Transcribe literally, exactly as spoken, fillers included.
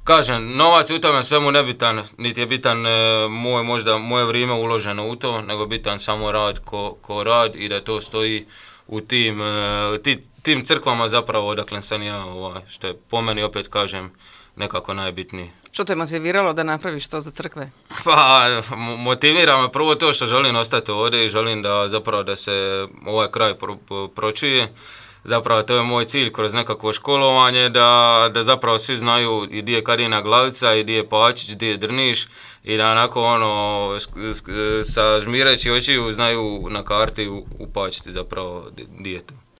kažem, novac je u tome svemu nebitan, niti je bitan e, moj, možda moje vrijeme uloženo u to, nego bitan samo rad ko, ko rad i da to stoji u tim, e, ti, tim crkvama zapravo odakle sam ja, ovaj, što je po meni opet kažem nekako najbitnije. Što te motiviralo da napraviš to za crkve? Pa, motivira me prvo to što želim ostati ovdje i želim da zapravo da se ovaj kraj pro, pro, pročuje. Zapravo to je moj cilj kroz nekakvo školovanje, da, da zapravo svi znaju i di je Kadina Glavica, i di je Pačić, di je Drniš i da onako ono, sa žmireći očiju znaju na karti upačiti zapravo di je to.